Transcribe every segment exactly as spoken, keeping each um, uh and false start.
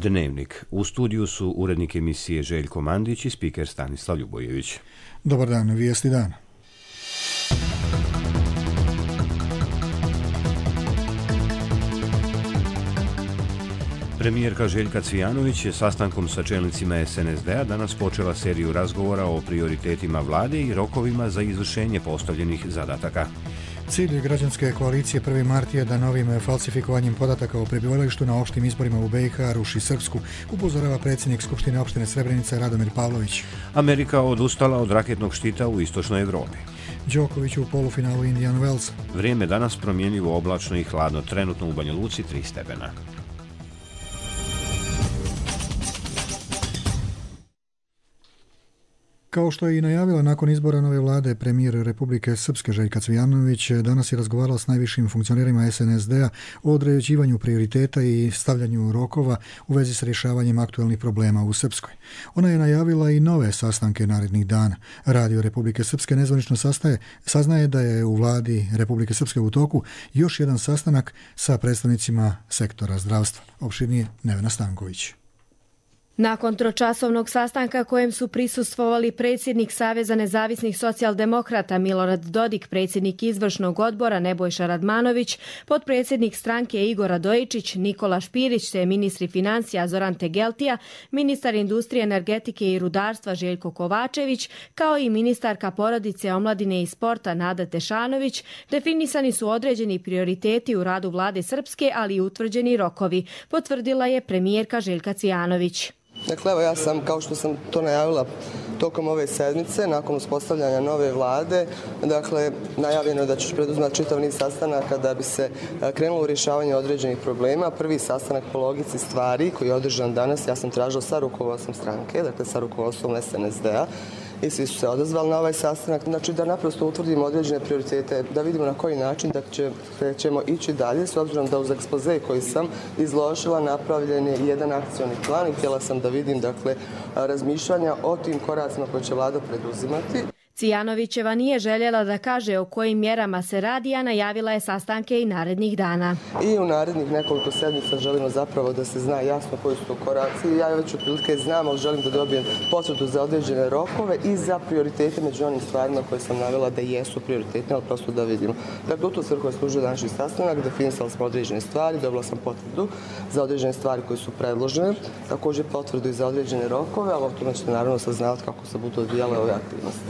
Dnevnik. U studiju su urednik emisije Željko Mandić i spiker Stanislav Ljubojević. Dobar dan, vijesti dana. Premijerka Željka Cvijanović je sastankom sa čelnicima es en es de a danas počela seriju razgovora o prioritetima vlade i rokovima za izvršenje postavljenih zadataka. Cilj građanske koalicije prvi mart je da novim falsifikovanjem podataka o prebivalištu na opštim izborima u be i ha ruši Srpsku, upozorava predsjednik Skupštine opštine Srebrenica Radomir Pavlović. Amerika odustala od raketnog štita u istočnoj Evropi. Đoković u polufinalu Indian Wells. Vrijeme danas promjenjivo, oblačno i hladno, trenutno u Banja Luci tri stepena. Kao što je i najavila nakon izbora nove vlade, premijer Republike Srpske Željka Cvijanović danas je razgovarala s najvišim funkcionerima es en es de a o određivanju prioriteta i stavljanju rokova u vezi s rješavanjem aktualnih problema u Srpskoj. Ona je najavila i nove sastanke narednih dana. Radio Republike Srpske nezvanično sastaje, saznaje da je u vladi Republike Srpske u toku još jedan sastanak sa predstavnicima sektora zdravstva. Opširnije Nevena Stanković. Nakon tročasovnog sastanka kojem su prisustvovali predsjednik Saveza nezavisnih socijaldemokrata Milorad Dodik, predsjednik izvršnog odbora Nebojša Radmanović, potpredsjednik stranke Igor Radojičić, Nikola Špirić te ministri financija Zoran Tegeltija, ministar industrije, energetike i rudarstva Željko Kovačević, kao i ministarka porodice, omladine i sporta Nada Tešanović, definisani su određeni prioriteti u radu vlade Srpske, ali i utvrđeni rokovi, potvrdila je premijerka Željka Cvijanović. Dakle, evo ja sam, kao što sam to najavila tokom ove sedmice, nakon uspostavljanja nove vlade, dakle, najavljeno je da ću preduzimati čitav niz sastanaka da bi se krenulo u rješavanje određenih problema. Prvi sastanak po logici stvari koji je održan danas, ja sam tražila sa rukovodstvom stranke, dakle sa rukovodstvom es en es de a, i svi su se odazvali na ovaj sastanak, znači da naprosto utvrdimo određene prioritete, da vidimo na koji način da će, ćemo ići dalje, s obzirom da uz ekspoze koji sam izložila napravljen je jedan akcioni plan i htjela sam da vidim, dakle, razmišljanja o tim koracima koje će vlada preduzimati. Cvijanovićeva nije željela da kaže o kojim mjerama se radi, a najavila je sastanke i narednih dana. I u narednih nekoliko sedmica želimo zapravo da se zna jasno koji su to koraci. Ja već otprilike znam, ali želim da dobijem potvrdu za određene rokove i za prioritete među onim stvarima koje sam navela da jesu prioritetne, ali prosto da vidimo. Dakle, u tu svrhu je služio današnji sastanak, definisali smo određene stvari, dobila sam potvrdu za određene stvari koje su predložene, također potvrdu i za određene rokove, ali o tome ćete naravno saznavati kako se budu odvijale ove aktivnosti.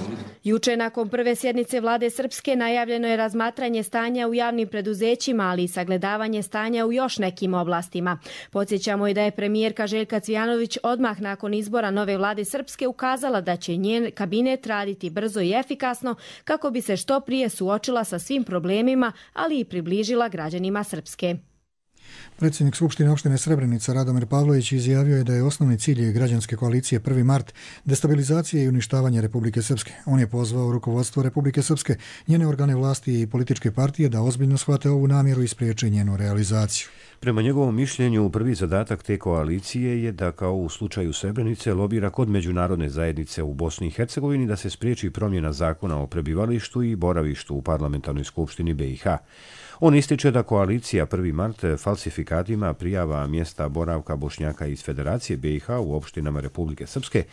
Juče nakon prve sjednice vlade Srpske najavljeno je razmatranje stanja u javnim preduzećima, ali i sagledavanje stanja u još nekim oblastima. Podsjećamo i da je premijerka Željka Cvijanović odmah nakon izbora nove vlade Srpske ukazala da će njen kabinet raditi brzo i efikasno kako bi se što prije suočila sa svim problemima, ali i približila građanima Srpske. Predsjednik Skupštine opštine Srebrenica Radomir Pavlović izjavio je da je osnovni cilj građanske koalicije prvi mart destabilizacija i uništavanje Republike Srpske. On je pozvao rukovodstvo Republike Srpske, njene organe vlasti i političke partije da ozbiljno shvate ovu namjeru i spriječe njenu realizaciju. Prema njegovom mišljenju, prvi zadatak te koalicije je da, kao u slučaju Srebrenice, lobira kod međunarodne zajednice u Bosni i Hercegovini da se spriječi promjena zakona o prebivalištu i boravištu u parlamentarnoj skupštini be i ha. On ističe da koalicija prvi mart falsifikatima prijava mjesta boravka Bošnjaka iz Federacije be i ha u opštinama Republike Srpske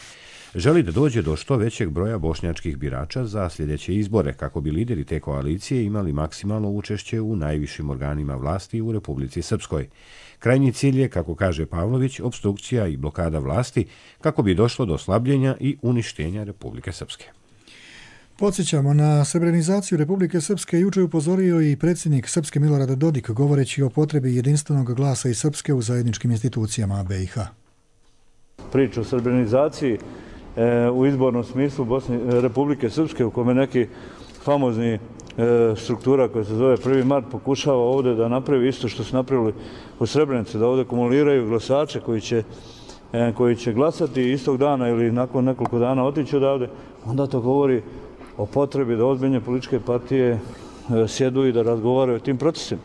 želi da dođe do što većeg broja bošnjačkih birača za sljedeće izbore, kako bi lideri te koalicije imali maksimalno učešće u najvišim organima vlasti u Republici Srpskoj. Krajnji cilj je, kako kaže Pavlović, opstrukcija i blokada vlasti kako bi došlo do slabljenja i uništenja Republike Srpske. Podsjećamo, na srebrenizaciju Republike Srpske juče upozorio i predsjednik Srpske Milorad Dodik, govoreći o potrebi jedinstvenog glasa i Srpske u zajedničkim institucijama be i ha. Priča o srebrenizaciji e, u izbornom smislu Bosne, Republike Srpske, u kome neki famozni e, struktura koja se zove prvi mart pokušava ovdje da napravi isto što su napravili u Srebrenici, da ovdje kumuliraju glasače koji će, e, koji će glasati istog dana ili nakon nekoliko dana otići odavde, onda to govori o potrebi da ozbiljne političke partije sjedu i da razgovaraju o tim procesima.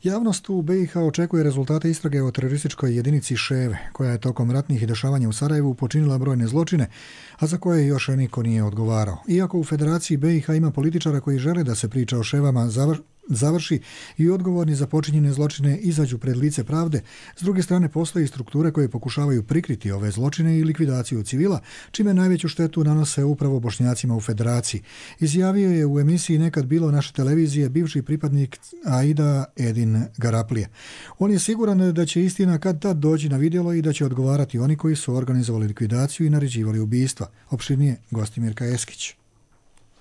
Javnost u be i ha očekuje rezultate istrage o terorističkoj jedinici Ševe, koja je tokom ratnih dešavanja u Sarajevu počinila brojne zločine, a za koje još niko nije odgovarao. Iako u Federaciji be i ha ima političara koji žele da se priča o Ševama završi i odgovorni za počinjene zločine izađu pred lice pravde. S druge strane, postoje strukture koje pokušavaju prikriti ove zločine i likvidaciju civila, čime najveću štetu nanose upravo Bošnjacima u Federaciji. Izjavio je u emisiji Nekad bilo naše televizije bivši pripadnik Aida Edin Garaplije. On je siguran da će istina kad tad doći na vidjelo i da će odgovarati oni koji su organizovali likvidaciju i naređivali ubistva. Opširnije Gostimirka Eskić.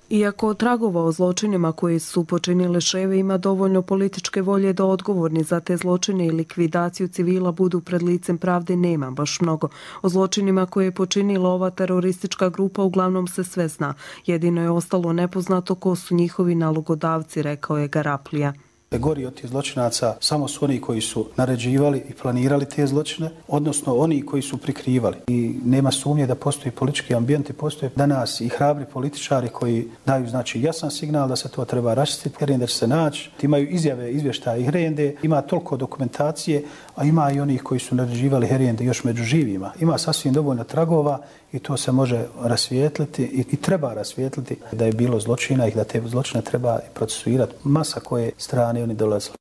Iako tragova o zločinima koje su počinile ševe ima dovoljno političke volje da odgovorni za te zločine i likvidaciju civila budu pred licem pravde, nema baš mnogo. O zločinima koje je počinila ova teroristička grupa uglavnom se sve zna. Jedino je ostalo nepoznato ko su njihovi nalogodavci, rekao je Garaplija. Gori od tih zločinaca samo su oni koji su naređivali i planirali te zločine, odnosno oni koji su prikrivali. I nema sumnje da postoji politički ambijent i postoje danas i hrabri političari koji daju znači jasan signal da se to treba raščistiti, Herende će se naći. Imaju izjave, izvještaje i Herende, ima toliko dokumentacije, a ima i onih koji su naređivali Herende još među živima. Ima sasvim dovoljno tragova i to se može rasvijetliti i, i treba rasvijetliti da je bilo zločina i da te zločine treba procesuirati. Masa koje strane oni dolazili.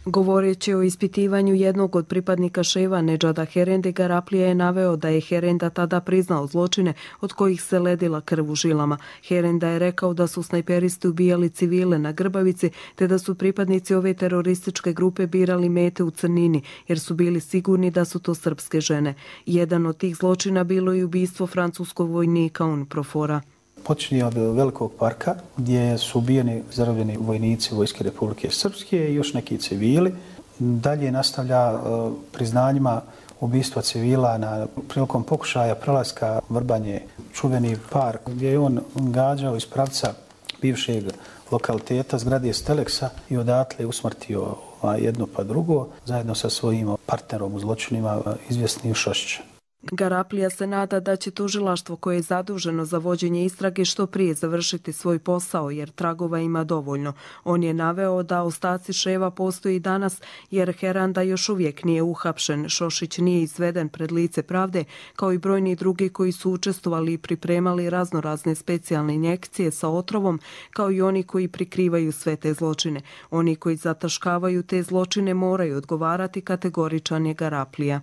Govoreći o ispitivanju jednog od pripadnika ševa Nedžada Herende, Garaplija je naveo da je Herenda tada priznao zločine od kojih se ledila krv u žilama. Herenda je rekao da su snajperisti ubijali civile na Grbavici, te da su pripadnici ove terorističke grupe birali mete u crnini, jer su bili sigurni da su to srpske žene. Jedan od tih zločina bilo je ubistvo francuskog vojnika Unprofora. Počinje od Velikog parka gdje su ubijeni zarobljeni vojnici Vojske Republike Srpske i još neki civili. Dalje nastavlja uh, priznanjima ubistva civila na prilikom pokušaja prelaska Vrbanje, čuveni park gdje je on gađao iz pravca bivšeg lokaliteta zgrade Steleksa i odatle usmrtio jedno pa drugo zajedno sa svojim partnerom u zločinima izvjesnim Šošićem. Garaplija se nada da će tužilaštvo koje je zaduženo za vođenje istrage što prije završiti svoj posao jer tragova ima dovoljno. On je naveo da ostaci ševa postoji danas jer Heranda još uvijek nije uhapšen, Šošić nije izveden pred lice pravde, kao i brojni drugi koji su učestvovali i pripremali raznorazne specijalne injekcije sa otrovom, kao i oni koji prikrivaju sve te zločine. Oni koji zataškavaju te zločine moraju odgovarati, kategoričan je Garaplija.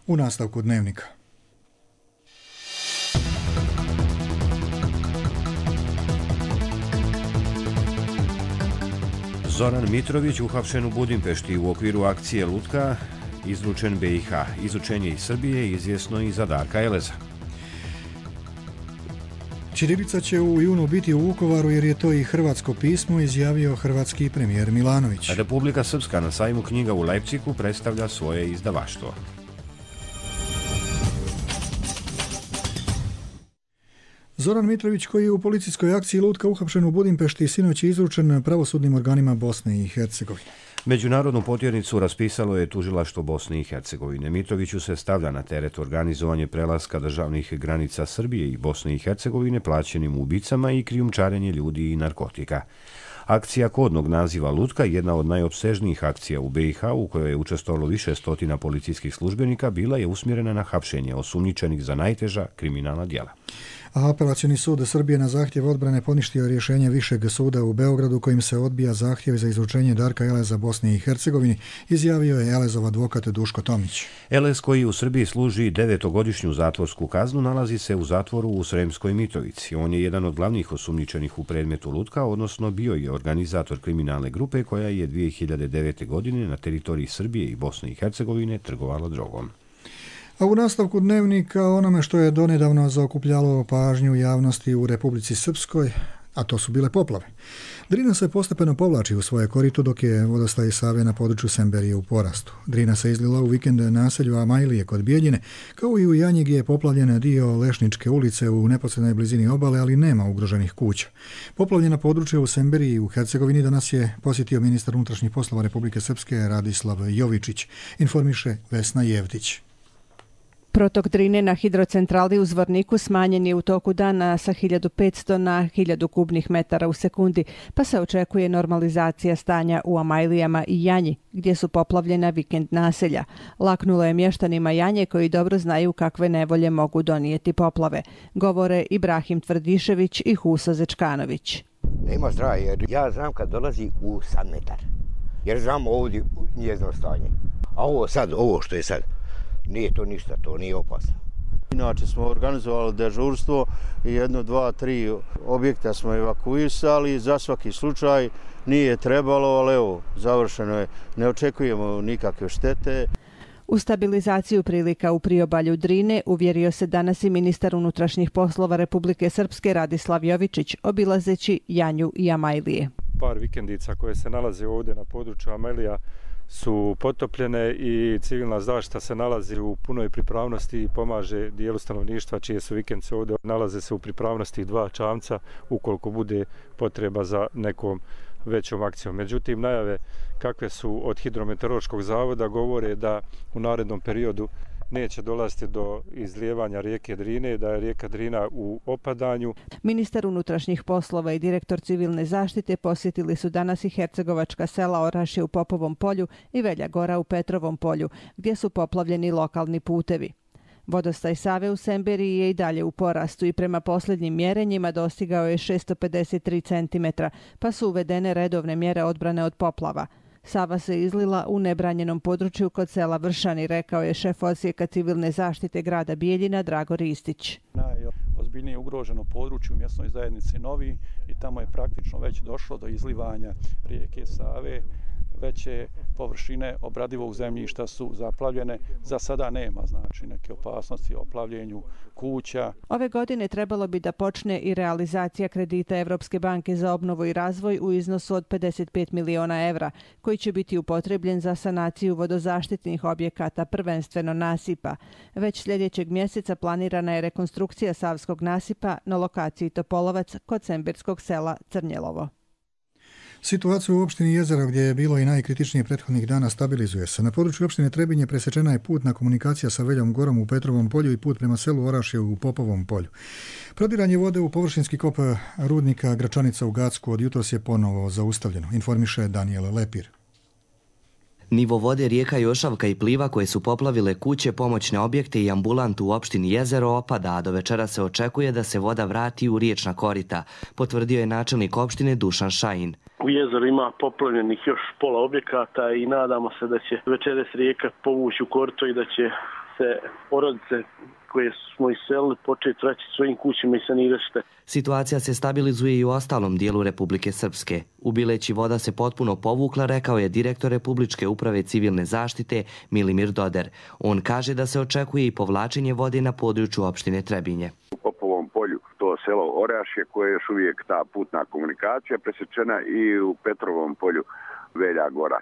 U nastavku Dnevnika. Zoran Mitrović uhapšen u Budimpešti u okviru akcije Lutka, izručen B i H. Izručenje iz Srbije izvjesno i za Darka Eleza. Ćirilica će u junu biti u Vukovaru jer je to i hrvatsko pismo, izjavio hrvatski premijer Milanović. Republika Srpska na sajmu knjiga u Leipzigu predstavlja svoje izdavaštvo. Zoran Mitrović, koji je u policijskoj akciji Lutka uhapšen u Budimpešti, sinoć je izručen pravosudnim organima Bosne i Hercegovine. Međunarodnu potjernicu raspisalo je tužilaštvo Bosne i Hercegovine. Mitroviću se stavlja na teret organizovanje prelaska državnih granica Srbije i Bosne i Hercegovine plaćenim ubicama i krijumčarenje ljudi i narkotika. Akcija kodnog naziva Lutka, jedna od najopsežnijih akcija u B i H u kojoj je učestvovalo više stotina policijskih službenika, bila je usmjerena na hapšenje osumnjičenih za najteža kriminalna djela. A Apelacioni sud Srbije na zahtjev odbrane poništio rješenje Višeg suda u Beogradu kojim se odbija zahtjev za izručenje Darka Eleza Bosni i Hercegovini, izjavio je Elezov advokat Duško Tomić. Elez, koji u Srbiji služi devetogodišnju zatvorsku kaznu, nalazi se u zatvoru u Sremskoj Mitrovici. On je jedan od glavnih osumnjičenih u predmetu Lutka, odnosno bio je organizator kriminalne grupe koja je dvije hiljade devete. godine na teritoriji Srbije i Bosne i Hercegovine trgovala drogom. A u nastavku Dnevnika onome što je donedavno zaokupljalo pažnju javnosti u Republici Srpskoj, a to su bile poplave. Drina se postepeno povlači u svoje korito dok je vodostaj Save na području Semberije u porastu. Drina se izlila u vikend naselju Amajlije kod Bijeljine, kao i u Janji gdje je poplavljen dio Lešničke ulice u neposrednoj blizini obale, ali nema ugroženih kuća. Poplavljena područja u Semberiji i u Hercegovini danas je posjetio ministar unutrašnjih poslova Republike Srpske Radislav Jovičić, informiše Vesna Jevtić. Protok Drine na hidrocentrali u Zvorniku smanjen je u toku dana sa hiljadu petsto na hiljadu kubnih metara u sekundi, pa se očekuje normalizacija stanja u Amajlijama i Janji, gdje su poplavljena vikend naselja. Laknulo je mještanima Janje koji dobro znaju kakve nevolje mogu donijeti poplave, govore Ibrahim Tvrdišević i Huso Zečkanović. Nema zdrava, jer ja znam kad dolazi u sad metar. Jer znam ovdje njezino stanje. A ovo sad, ovo što je sad, nije to ništa, to nije opasno. Inače smo organizovali dežurstvo i jedno, dva, tri objekta smo evakuisali. Za svaki slučaj nije trebalo, ali evo, završeno je. Ne očekujemo nikakve štete. U stabilizaciju prilika u priobalju Drine uvjerio se danas i ministar unutrašnjih poslova Republike Srpske Radislav Jovičić, obilazeći Janju i Amajlije. Par vikendica koje se nalaze ovdje na području Amajlija su potopljene i civilna zaštita se nalazi u punoj pripravnosti i pomaže dijelu stanovništva čije su vikendice ovdje. Nalaze se u pripravnosti dva čamca ukoliko bude potreba za nekom većom akcijom. Međutim, najave kakve su od Hidrometeorološkog zavoda govore da u narednom periodu neće dolaziti do izlijevanja rijeke Drine, da je rijeka Drina u opadanju. Ministar unutrašnjih poslova i direktor civilne zaštite posjetili su danas i hercegovačka sela Orašje u Popovom polju i Velja Gora u Petrovom polju, gdje su poplavljeni lokalni putevi. Vodostaj Save u Semberiji je i dalje u porastu i prema posljednjim mjerenjima dostigao je šessto pedeset tri centimetra, pa su uvedene redovne mjere odbrane od poplava. Sava se izlila u nebranjenom području kod sela Vršani, rekao je šef odsjeka civilne zaštite grada Bijeljina Drago Ristić. Najozbiljnije ugroženo područje u mjesnoj zajednici Novi i tamo je praktično već došlo do izlivanja rijeke Save. Veće površine obradivog zemljišta su zaplavljene. Za sada nema znači neke opasnosti o plavljenju kuća. Ove godine trebalo bi da počne i realizacija kredita Evropske banke za obnovu i razvoj u iznosu od pedeset pet miliona evra, koji će biti upotrebljen za sanaciju vodozaštitnih objekata, prvenstveno nasipa. Već sljedećeg mjeseca planirana je rekonstrukcija Savskog nasipa na lokaciji Topolovac kod semberskog sela Crnjelovo. Situaciju u opštini Jezero, gdje je bilo i najkritičnije prethodnih dana, stabilizuje se. Na području opštine Trebinje presečena je putna komunikacija sa Veljom Gorom u Petrovom polju i put prema selu Orašje u Popovom polju. Prodiranje vode u površinski kop rudnika Gračanica u Gacku od jutros je ponovo zaustavljeno, informiše Daniel Lepir. Nivo vode rijeka Jošavka i Pliva koje su poplavile kuće, pomoćne objekte i ambulantu u opštini Jezero opada, a do večera se očekuje da se voda vrati u riječna korita, potvrdio je načelnik opštine Dušan Šajin. U jezeru ima poplavljenih još pola objekata i nadamo se da će večeras rijeka povući u korito i da će se porodice koje smo iselili početi vraćati svojim kućima i sanirati štete. Situacija se stabilizuje i u ostalom dijelu Republike Srpske. U Bileći voda se potpuno povukla, rekao je direktor Republičke uprave civilne zaštite Milimir Doder. On kaže da se očekuje i povlačenje vode na području opštine Trebinje. U Popovom polju to selo Orašje koje je još uvijek ta putna komunikacija presečena i u Petrovom polju Velja Gora.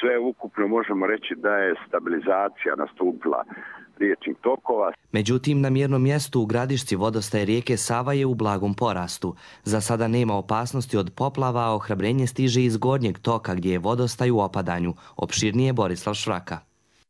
Sve ukupno možemo reći da je stabilizacija nastupila riječnih tokova. Međutim, na mjernom mjestu u Gradišci vodostaj rijeke Sava je u blagom porastu. Za sada nema opasnosti od poplava, a ohrabrenje stiže iz gornjeg toka gdje je vodostaj u opadanju. Opširnije Borislav Švraka.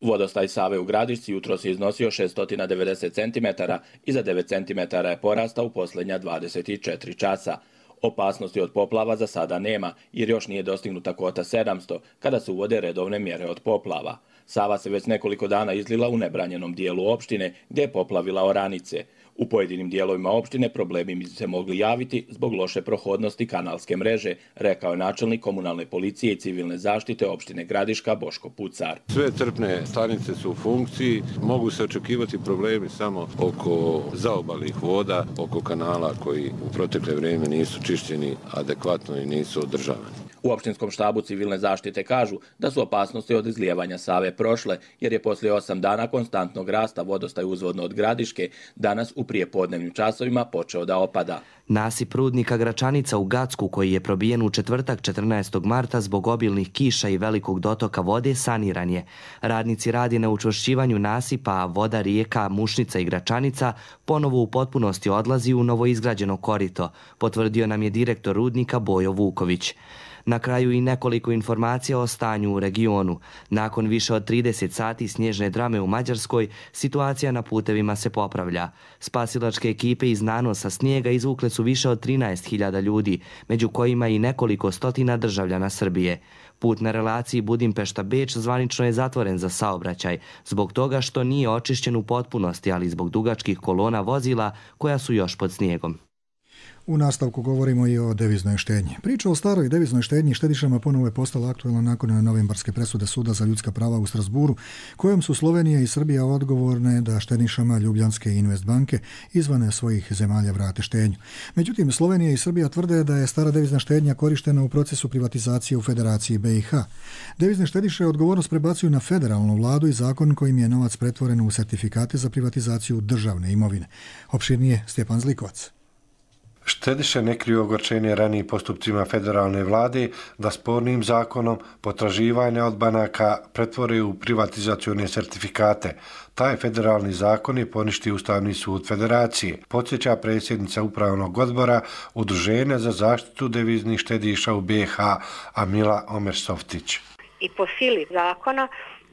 Vodostaj Save u Gradišci jutros je iznosio šeststo devedeset centimetara i za devet centimetara je porastao u posljednja dvadeset četiri časa. Opasnosti od poplava za sada nema, jer još nije dostignuta kvota sedamsto, kada se uvode redovne mjere od poplava. Sava se već nekoliko dana izlila u nebranjenom dijelu opštine, gdje je poplavila oranice. U pojedinim dijelovima opštine problemi bi se mogli javiti zbog loše prohodnosti kanalske mreže, rekao je načelnik komunalne policije i civilne zaštite opštine Gradiška Boško Pucar. Sve crpne stanice su u funkciji, mogu se očekivati problemi samo oko zaobalnih voda, oko kanala koji u protekle vrijeme nisu čišćeni adekvatno i nisu održavani. U opštinskom štabu civilne zaštite kažu da su opasnosti od izlijevanja Save prošle, jer je poslije osam dana konstantnog rasta vodostaj uzvodno od Gradiške danas u prijepodnevnim časovima počeo da opada. Nasip rudnika Gračanica u Gacku, koji je probijen u četvrtak četrnaestog marta zbog obilnih kiša i velikog dotoka vode, saniran je. Radnici radi na učvršćivanju nasipa, a voda rijeka Mušnica i Gračanica ponovo u potpunosti odlazi u novoizgrađeno korito, potvrdio nam je direktor rudnika Bojo Vuković. Na kraju i nekoliko informacija o stanju u regionu. Nakon više od trideset sati snježne drame u Mađarskoj, situacija na putevima se popravlja. Spasilačke ekipe iz nanosa snijega izvukle su više od trinaest hiljada ljudi, među kojima i nekoliko stotina državljana Srbije. Put na relaciji Budimpešta-Beč zvanično je zatvoren za saobraćaj, zbog toga što nije očišćen u potpunosti, ali zbog dugačkih kolona vozila koja su još pod snijegom. U nastavku govorimo i o deviznoj štednji. Priča o staroj deviznoj štednji štedišama ponovo je postala aktualna nakon novembarske presude Suda za ljudska prava u Strasburu, kojom su Slovenija i Srbija odgovorne da štedišama Ljubljanske Investbanke izvan svojih zemalja vrate štednju. Međutim, Slovenija i Srbija tvrde da je stara devizna štednja korištena u procesu privatizacije u Federaciji B i H. Devizne štediše odgovornost prebacuju na federalnu vladu i zakon kojim je novac pretvoren u sertifikate za privatizaciju državne imovine. Opširnije Stjepan Zlikovac. Štediše ne kriju ogorčenje ranijim postupcima federalne vlade da spornim zakonom potraživanja od banaka pretvore u privatizacione sertifikate. Taj federalni zakon je poništio Ustavni sud Federacije, podsjeća predsjednica Upravnog odbora Udruženja za zaštitu deviznih štediša u B i H Amila Omersoftić. I po sili zakona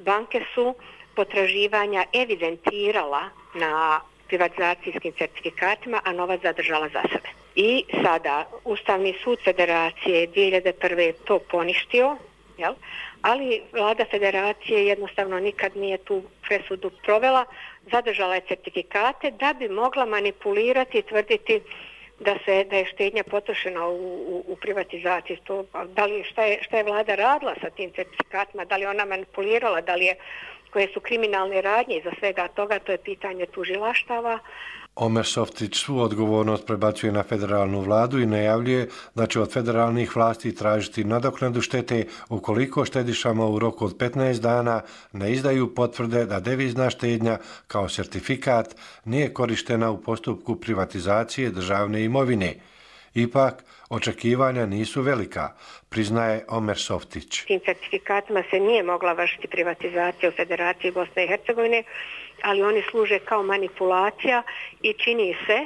banke su potraživanja evidentirala na privatizacijskim certifikatima, a novac zadržala za sebe. I sada Ustavni sud Federacije dvije hiljade prve to poništio, jel? Ali vlada Federacije jednostavno nikad nije tu presudu provela, zadržala je certifikate da bi mogla manipulirati i tvrditi da se da je štednja potrošena u, u, u privatizaciji. To, da li, šta, je, šta je vlada radila sa tim certifikatima, da li ona manipulirala, da li je, koje su kriminalne radnje iza svega toga, to je pitanje tužilaštava. Omersoftić svu odgovornost prebacuje na federalnu vladu i najavljuje da će od federalnih vlasti tražiti nadoknadu štete ukoliko štedišama u roku od petnaest dana ne izdaju potvrde da devizna štednja kao sertifikat nije korištena u postupku privatizacije državne imovine. Ipak, očekivanja nisu velika, priznaje Omersoftić. Tim certifikatima se nije mogla vršiti privatizacija u Federaciji Bosne i Hercegovine, ali oni služe kao manipulacija i čini se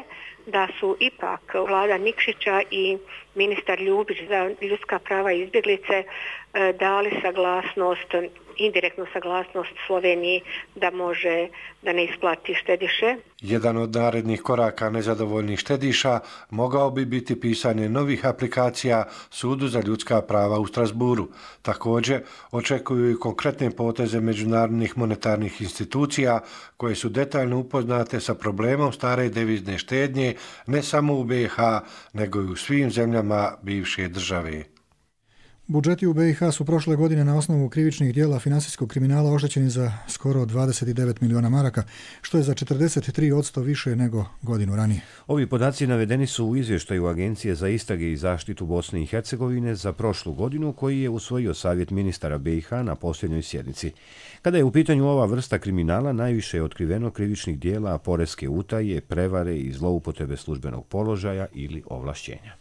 da su ipak vlada Nikšića i ministar Ljubić za ljudska prava i izbjeglice dali saglasnost, indirektnu saglasnost Sloveniji da može da ne isplati štediše. Jedan od narednih koraka nezadovoljnih štediša mogao bi biti pisanje novih aplikacija Sudu za ljudska prava u Strasburu. Također očekuju i konkretne poteze međunarodnih monetarnih institucija koje su detaljno upoznate sa problemom stare devizne štednje ne samo u B i H nego i u svim zemljama bivše države. Budžeti u B i H su prošle godine na osnovu krivičnih dijela finansijskog kriminala oštećeni za skoro dvadeset devet miliona maraka, što je za četrdeset tri posto više nego godinu ranije. Ovi podaci navedeni su u izvještaju Agencije za istrage i zaštitu Bosne i Hercegovine za prošlu godinu koji je usvojio savjet ministara B i H na posljednjoj sjednici. Kada je u pitanju ova vrsta kriminala, najviše je otkriveno krivičnih dijela poreske utaje, prevare i zloupotrebe službenog položaja ili ovlašćenja.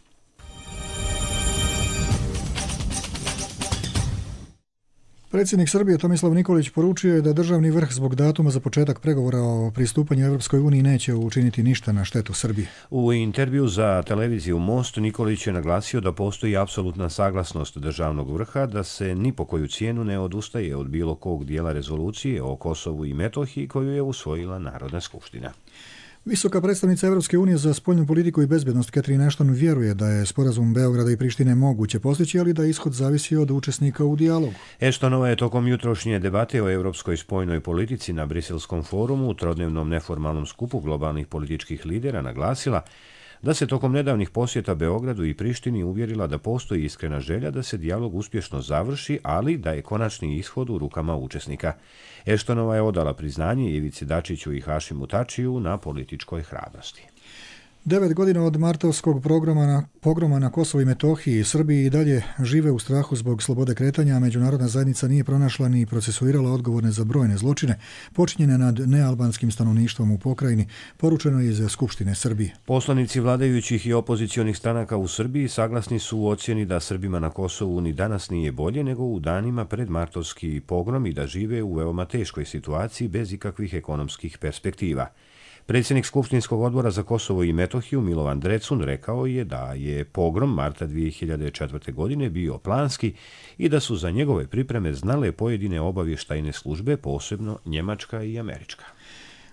Predsjednik Srbije Tomislav Nikolić poručio je da državni vrh zbog datuma za početak pregovora o pristupanju Europskoj uniji neće učiniti ništa na štetu Srbije. U intervju za televiziju Most Nikolić je naglasio da postoji apsolutna saglasnost državnog vrha da se ni po koju cijenu ne odustaje od bilo kog dijela rezolucije o Kosovu i Metohiji koju je usvojila Narodna skupština. Visoka predstavnica Evropske unije za spoljnu politiku i bezbjednost Catherine Ashton vjeruje da je sporazum Beograda i Prištine moguće postići, ali da ishod zavisi od učesnika u dijalogu. Ashtonova je tokom jutrošnje debate o europskoj spoljnoj politici na Briselskom forumu, trodnevnom neformalnom skupu globalnih političkih lidera, naglasila da se tokom nedavnih posjeta Beogradu i Prištini uvjerila da postoji iskrena želja da se dijalog uspješno završi, ali da je konačni ishod u rukama učesnika. Ashtonova je odala priznanje Ivici Dačiću i Hašimu Tačiju na političkoj hrabrosti. Devet godina od martovskog programa na, pogroma na Kosovo i Metohiji, Srbiji i dalje žive u strahu zbog slobode kretanja, a međunarodna zajednica nije pronašla ni procesuirala odgovorne za brojne zločine počinjene nad nealbanskim stanovništvom u pokrajini, poručeno iz Skupštine Srbije. Poslanici vladajućih i opozicionih stranaka u Srbiji saglasni su u ocjeni da Srbima na Kosovu ni danas nije bolje nego u danima pred martovski pogrom i da žive u veoma teškoj situaciji bez ikakvih ekonomskih perspektiva. Predsjednik Skupštinskog odbora za Kosovo i Metohiju Milovan Drecun rekao je da je pogrom marta dvije hiljade četvrte. godine bio planski i da su za njegove pripreme znale pojedine obavještajne službe, posebno njemačka i američka.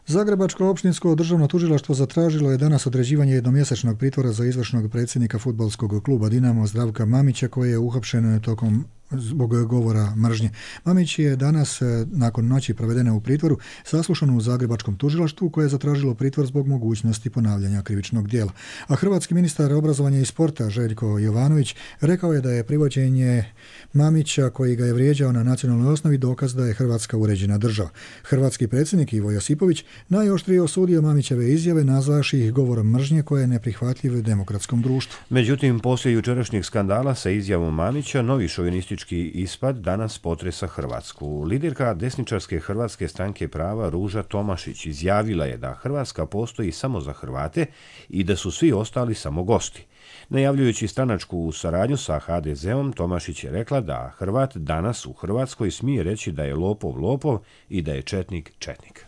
Zagrebačko opštinsko državno tužilaštvo zatražilo je danas određivanje jednomjesečnog pritvora za izvršnog predsjednika fudbalskog kluba Dinamo Zdravka Mamića koji je uhapšen tokom zbog govora mržnje. Mamić je danas, nakon noći provedene u pritvoru, saslušan u Zagrebačkom tužilaštvu koje je zatražilo pritvor zbog mogućnosti ponavljanja krivičnog djela. A hrvatski ministar obrazovanja i sporta Željko Jovanović rekao je da je privođenje Mamića koji ga je vrijeđao na nacionalnoj osnovi dokaz da je Hrvatska uređena država. Hrvatski predsjednik Ivo Josipović najoštrije osudio Mamićeve izjave nazvavši ih govorom mržnje koje je neprihvatljiv demokratskom društvu. Međutim, poslije jučerašnjeg skandala sa izjavom Mamića, novi šovinistički ispad danas potresa Hrvatsku. Liderka desničarske Hrvatske stranke prava Ruža Tomašić izjavila je da Hrvatska postoji samo za Hrvate i da su svi ostali samo gosti. Najavljujući stranačku saradnju sa ha de zeom, Tomašić je rekla da Hrvat danas u Hrvatskoj smije reći da je lopov lopov i da je četnik četnik.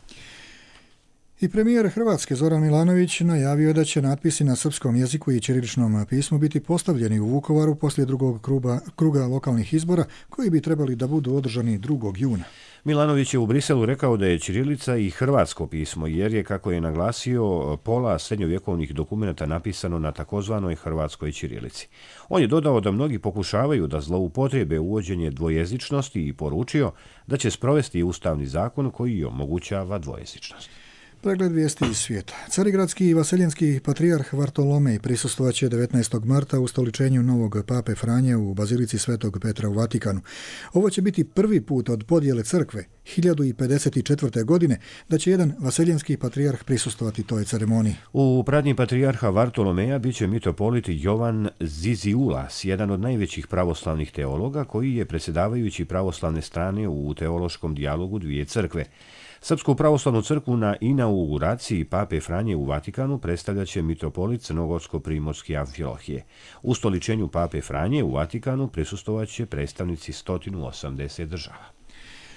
I premijer Hrvatske Zoran Milanović najavio je da će natpisi na srpskom jeziku i ćiriličnom pismu biti postavljeni u Vukovaru poslije drugog kruga, kruga lokalnih izbora koji bi trebali da budu održani drugog juna. Milanović je u Briselu rekao da je ćirilica i hrvatsko pismo, jer je, kako je naglasio, pola srednjovjekovnih dokumenata napisano na takozvanoj hrvatskoj ćirilici. On je dodao da mnogi pokušavaju da zloupotrijebe uvođenje dvojezičnosti i poručio da će sprovesti ustavni zakon koji omogućava dvojezičnost. Pregled vijesti iz svijeta. Carigradski i vaseljenski patrijarh Vartolomej prisustvovaće devetnaestog marta u stoličenju novog pape Franje u bazilici Svetog Petra u Vatikanu. Ovo će biti prvi put od podjele crkve hiljadu pedeset četvrte. godine da će jedan vaseljenski patrijarh prisustvovati toj ceremoniji. U pratnji patrijarha Vartolomeja bit će mitropolit Jovan Ziziulas, jedan od najvećih pravoslavnih teologa koji je predsjedavajući pravoslavne strane u teološkom dijalogu dvije crkve. Srpsku pravoslavnu crkvu na inauguraciji pape Franje u Vatikanu predstavljaće mitropolit Crnogorsko-primorske Amfilohije. U stoličenju pape Franje u Vatikanu prisustvovaće predstavnici sto osamdeset država.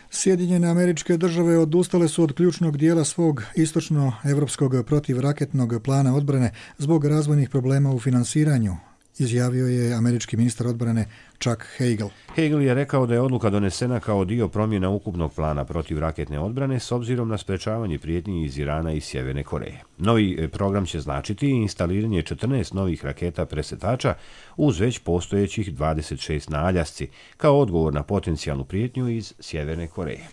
Sjedinjene Američke Države odustale su od ključnog dijela svog istočno-evropskog protivraketnog plana odbrane zbog razvojnih problema u finansiranju, izjavio je američki ministar odbrane Chuck Hagel. Hagel je rekao da je odluka donesena kao dio promjena ukupnog plana protivraketne odbrane s obzirom na sprečavanje prijetnji iz Irana i Sjeverne Koreje. Novi program će značiti instaliranje četrnaest novih raketa presretača uz već postojećih dvadeset šest na Aljasci, kao odgovor na potencijalnu prijetnju iz Sjeverne Koreje.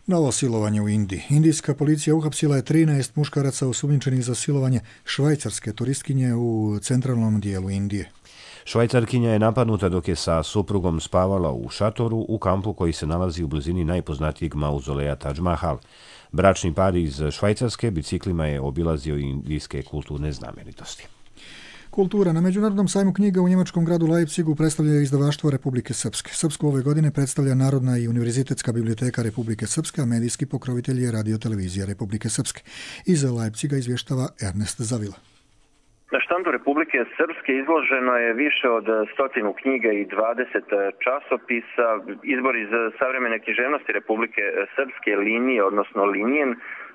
Novo silovanje u Indiji. Indijska policija uhapsila je trinaest muškaraca osumnjičenih za silovanje švajcarske turistkinje u centralnom dijelu Indije. Švajcarkinja je napadnuta dok je sa suprugom spavala u šatoru u kampu koji se nalazi u blizini najpoznatijeg mauzoleja Taj Mahal. Bračni par iz Švajcarske biciklima je obilazio indijske kulturne znamenitosti. Kultura. Na Međunarodnom sajmu knjiga u njemačkom gradu Leipzigu predstavlja izdavaštvo Republike Srpske. Srpsku ove godine predstavlja Narodna i univerzitetska biblioteka Republike Srpske, a medijski pokrovitelj je Radio-televizija Republike Srpske. Iz Leipziga izvještava Ernest Zavila. Na štandu Republike Srpske izloženo je više od stotinu knjiga i dvadeset časopisa. Izbor iz savremene književnosti Republike Srpske, linije, odnosno linijen,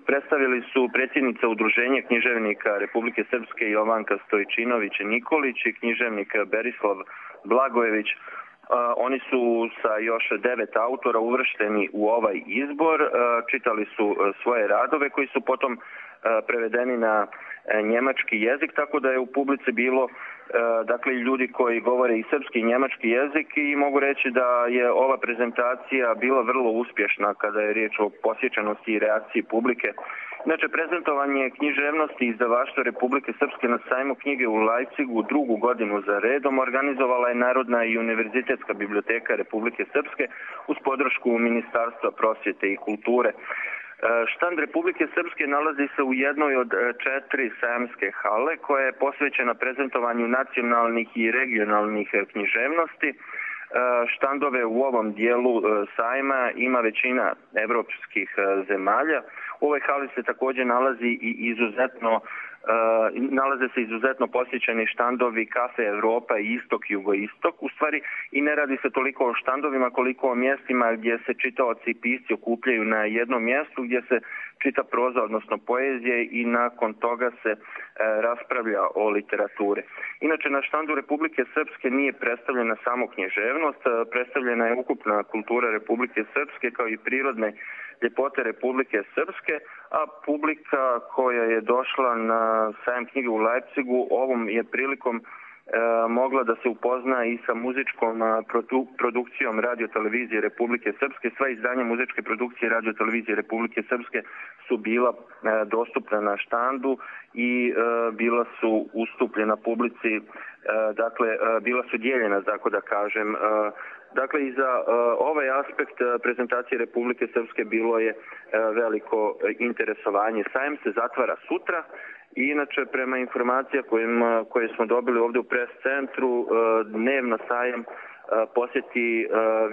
predstavili su predsjednica Udruženja književnika Republike Srpske Jovanka Stojčinović Nikolić i književnik Berislav Blagojević. Oni su sa još devet autora uvršteni u ovaj izbor, čitali su svoje radove koji su potom prevedeni na njemački jezik, tako da je u publici bilo dakle ljudi koji govore i srpski i njemački jezik i mogu reći da je ova prezentacija bila vrlo uspješna kada je riječ o posjećenosti i reakciji publike. Znači, prezentovanje književnosti izdavaštva Republike Srpske na sajmu knjige u Leipzigu drugu godinu za redom organizovala je Narodna i univerzitetska biblioteka Republike Srpske uz podršku Ministarstva prosvjete i kulture. Štand Republike Srpske nalazi se u jednoj od četiri sajamske hale koja je posvećena prezentovanju nacionalnih i regionalnih književnosti. Štandove u ovom dijelu sajma ima većina evropskih zemalja. U ovoj hali se također nalazi i izuzetno Uh, nalaze se izuzetno posjećeni štandovi Kafe Evropa i Istok Jugoistok. U stvari i ne radi se toliko o štandovima koliko o mjestima gdje se čitaoci i pisci okupljaju na jednom mjestu gdje se čita proza, odnosno poezije i nakon toga se uh, raspravlja o literaturi. Inače, na štandu Republike Srpske nije predstavljena samo književnost, uh, predstavljena je ukupna kultura Republike Srpske kao i prirodne ljepote Republike Srpske, a publika koja je došla na sajam knjige u Leipzigu ovom je prilikom mogla da se upozna i sa muzičkom produkcijom Radio-televizije Republike Srpske. Sva izdanja muzičke produkcije Radio-televizije Republike Srpske su bila dostupna na štandu i bila su ustupljena publici, dakle bila su dijeljena, tako da kažem. Dakle, i za ovaj aspekt prezentacije Republike Srpske bilo je veliko interesovanje. Sajam se zatvara sutra. I inače, prema informacija kojima, koje smo dobili ovdje u pres centru, dnevno sajam posjeti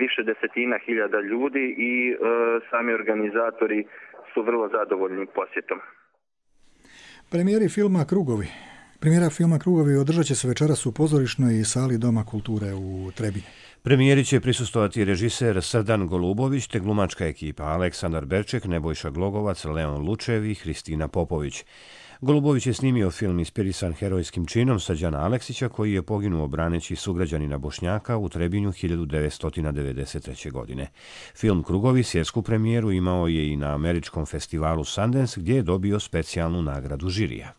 više desetina hiljada ljudi i sami organizatori su vrlo zadovoljni posjetom. Premijeri filma Krugovi. Premijera filma Krugovi održat će se večeras u pozorišnoj sali Doma kulture u Trebinju. Premijeri će prisustovati režiser Srdan Golubović te glumačka ekipa Aleksandar Berček, Nebojša Glogovac, Leon Lučev i Hristina Popović. Golubović je snimio film inspirisan herojskim činom Srđana Aleksića, koji je poginuo braneći sugrađanina Bošnjaka u Trebinju hiljadu devetsto devedeset treće. godine. Film Krugovi svjetsku premijeru imao je i na američkom festivalu Sundance, gdje je dobio specijalnu nagradu žirija.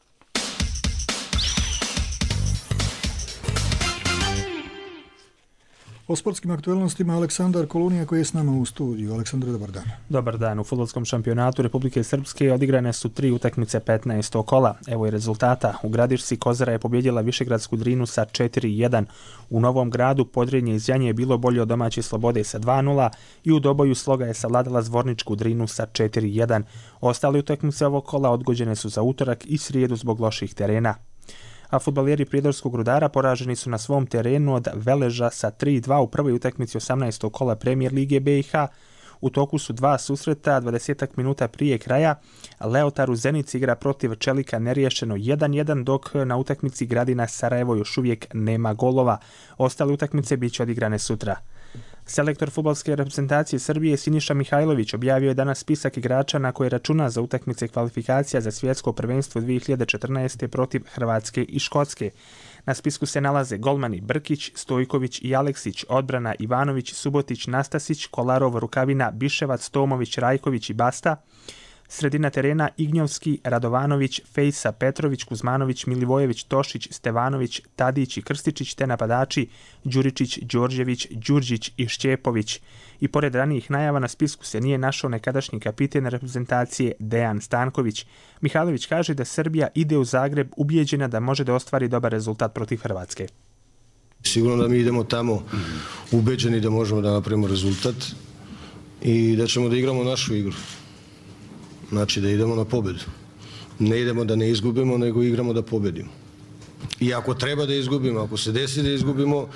O sportskim aktualnostima Aleksandar Kolunija koji je s nama u studiju. Aleksandar, dobar dan. Dobar dan. U fudbalskom šampionatu Republike Srpske odigrane su tri utakmice petnaestog kola. Evo i rezultata. U Gradišci Kozara je pobjedila Višegradsku Drinu sa četiri jedan. U Novom Gradu Podrinje iz Janje je bilo bolje od domaće Slobode sa dva nula i u Doboju Sloga je savladala Zvorničku Drinu sa četiri jedan. Ostale utakmice ovog kola odgođene su za utorak i srijedu zbog loših terena. A fudbaleri Prijedorskog Rudara poraženi su na svom terenu od Veleža sa tri dva u prvoj utakmici osamnaestog kola Premijer Lige B i H. U toku su dva susreta, dvadesetak minuta prije kraja. Leotar u Zenici igra protiv Čelika neriješeno jedan jedan, dok na utakmici Gradina Sarajevo još uvijek nema golova. Ostale utakmice bit će odigrane sutra. Selektor fudbalske reprezentacije Srbije Siniša Mihajlović objavio je danas spisak igrača na koje računa za utakmice kvalifikacija za svjetsko prvenstvo dvije hiljade četrnaeste. protiv Hrvatske i Škotske. Na spisku se nalaze golmani Brkić, Stojković i Aleksić, odbrana Ivanović, Subotić, Nastasić, Kolarov, Rukavina, Biševac, Tomović, Rajković i Basta. Sredina terena Ignjovski, Radovanović, Fejsa, Petrović, Kuzmanović, Milivojević, Tošić, Stevanović, Tadić i Krstičić, te napadači Đuričić, Đorđević, Đurđić i Šćepović. I pored ranijih najava na spisku se nije našao nekadašnji kapiten reprezentacije Dejan Stanković. Mihajlović kaže da Srbija ide u Zagreb ubijeđena da može da ostvari dobar rezultat protiv Hrvatske. Sigurno da mi idemo tamo ubeđeni da možemo da napravimo rezultat i da ćemo da igramo našu igru. Znači da idemo na pobjedu. Ne idemo da ne izgubimo, nego igramo da pobjedimo. I ako treba da izgubimo, ako se desi da izgubimo,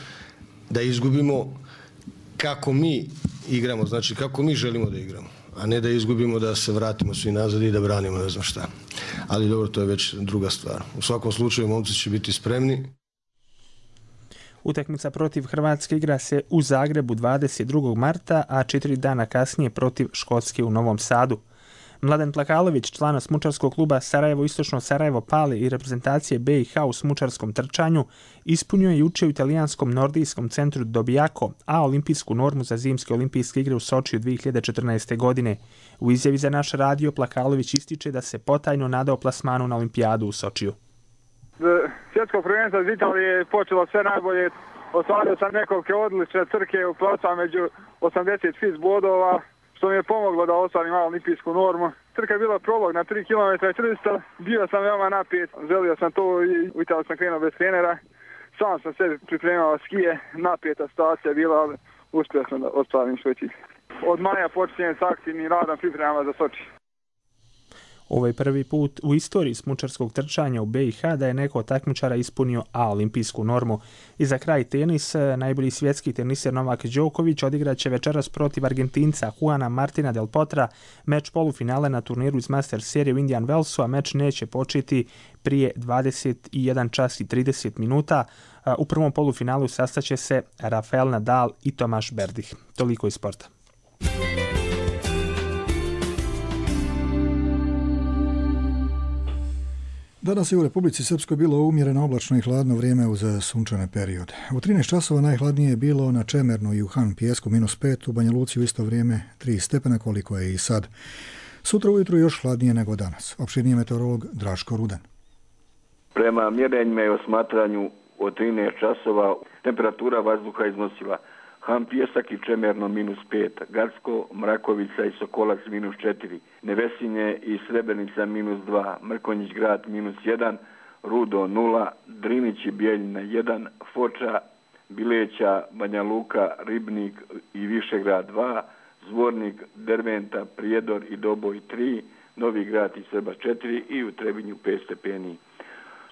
da izgubimo kako mi igramo, znači kako mi želimo da igramo, a ne da izgubimo da se vratimo svi nazad i da branimo ne znam šta. Ali dobro, to je već druga stvar. U svakom slučaju momci će biti spremni. Utakmica protiv Hrvatske igra se u Zagrebu dvadeset drugog marta, a četiri dana kasnije protiv Škotske u Novom Sadu. Mladen Plakalović, član smučarskog kluba Sarajevo Istočno Sarajevo Pale i reprezentacije B i H u smučarskom trčanju, ispunio je juče u italijanskom nordijskom centru Dobijako A olimpijsku normu za zimske olimpijske igre u Sočiju dvije hiljade četrnaeste. godine. U izjavi za naš radio Plakalović ističe da se potajno nadao plasmanu na olimpijadu u Sočiju. Svjetsko prvenstvo iz Italije je počelo sve najbolje. Ostvario sam nekoliko odlične trke u plasma među osamdeset šest bodova, što mi je pomoglo da ostvarim malo olimpijsku normu. Trka je bila prolog na tri kilometra i četiristo, bio sam veoma napet, želio sam to i u Italiju sam krenuo bez trenera. Sam sam se pripremao skije, napeta situacija je bila, ali uspio sam da ostvarim svoj cilj. Od maja počinjem s aktivnim radom pripremama za Soči. Ovo je prvi put u istoriji smučarskog trčanja u B i H da je neko od takmičara ispunio A olimpijsku normu. I za kraj tenis, najbolji svjetski teniser Novak Đoković odigraće večeras protiv Argentinca Juana Martina del Potra meč polufinale na turniru iz Master serije u Indian Wellsu, a meč neće početi prije dvadeset jedan čas i trideset minuta. U prvom polufinalu sastaće se Rafael Nadal i Tomaš Berdih. Toliko iz sporta. Danas je u Republici Srpskoj bilo umjereno oblačno i hladno vrijeme uz sunčane periode. U trinaest časova najhladnije je bilo na Čemernu i u Han Pijesku minus pet, u Banja Luci u isto vrijeme tri stepena koliko je i sad. Sutra ujutru još hladnije nego danas. Opširniji meteorolog Draško Rudan. Prema mjerenjima i osmatranju od trinaest časova. Temperatura vazduha iznosila Han Pijesak i Čemerno minus pet, Gacko, Mrakovica i Sokolac minus četiri, Nevesinje i Srebrenica minus dva, Mrkonjić grad minus jedan, Rudo nula, Drinić i Bijeljina jedan, Foča, Bileća, Banja Luka, Ribnik i Višegrad dva, Zvornik, Derventa, Prijedor i Doboj tri, Novi grad i Srba četiri i u Trebinju pet stepeni.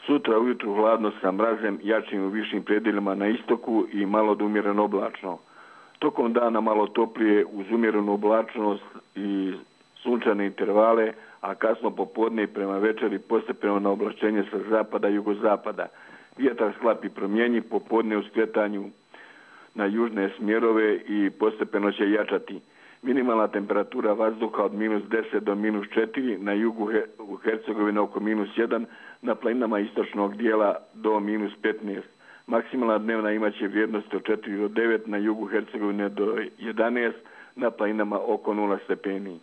Sutra ujutru hladno sa mrazem, jačim u višim predjelima na istoku i malo da umjereno oblačno. Tokom dana malo toplije uz umjerenu oblačnost i sunčane intervale, a kasno popodne i prema večeri postepeno na oblačenje sa zapada i jugozapada. Vjetar sklap i promjenji, popodne u skretanju na južne smjerove i postepeno će jačati. Minimalna temperatura vazduha od minus deset do minus četiri, na jugu u Hercegovini oko minus jedan, na planinama istočnog dijela do minus petnaest. Maksimalna dnevna imaće vrijednosti od četiri do devet, na jugu Hercegovine do jedanaest, na planinama oko nula stepeni.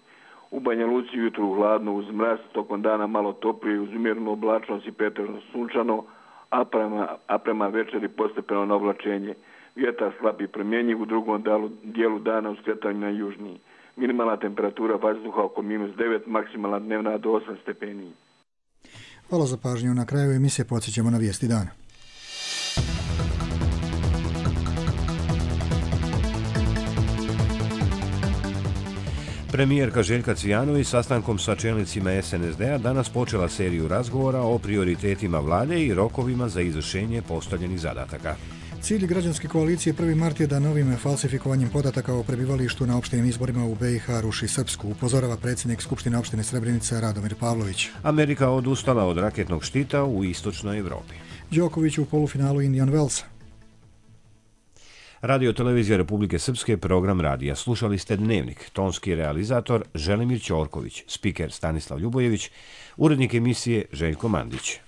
U Banja Luci jutru hladno uz mraz, tokom dana malo toplije uz umjerenu oblačnost i pretežno sunčano, a prema, a prema večeri postepeno na oblačenje. Vjetar slab i promjenjiv, u drugom dalu, dijelu dana u skretanju na južniji. Minimalna temperatura vazduha oko minus devet, maksimalna dnevna do osam stepeni. Hvala za pažnju. Na kraju emisije podsjećamo na vijesti dana. Premijerka Željka Cvijanović sastankom sa čelnicima es en es de a danas počela seriju razgovora o prioritetima vlade i rokovima za izvršenje postavljenih zadataka. Cilj građanske koalicije prvi mart je da novim falsifikovanjem podataka o prebivalištu na opštinim izborima u be i ha ruši Srpsku, upozorava predsjednik Skupštine opštine Srebrenica Radomir Pavlović. Amerika odustala od raketnog štita u istočnoj Evropi. Đoković u polufinalu Indian Wells. Radio televizija Republike Srpske, program radija. Slušali ste Dnevnik, tonski realizator Želimir Ćorković, spiker Stanislav Ljubojević, urednik emisije Željko Mandić.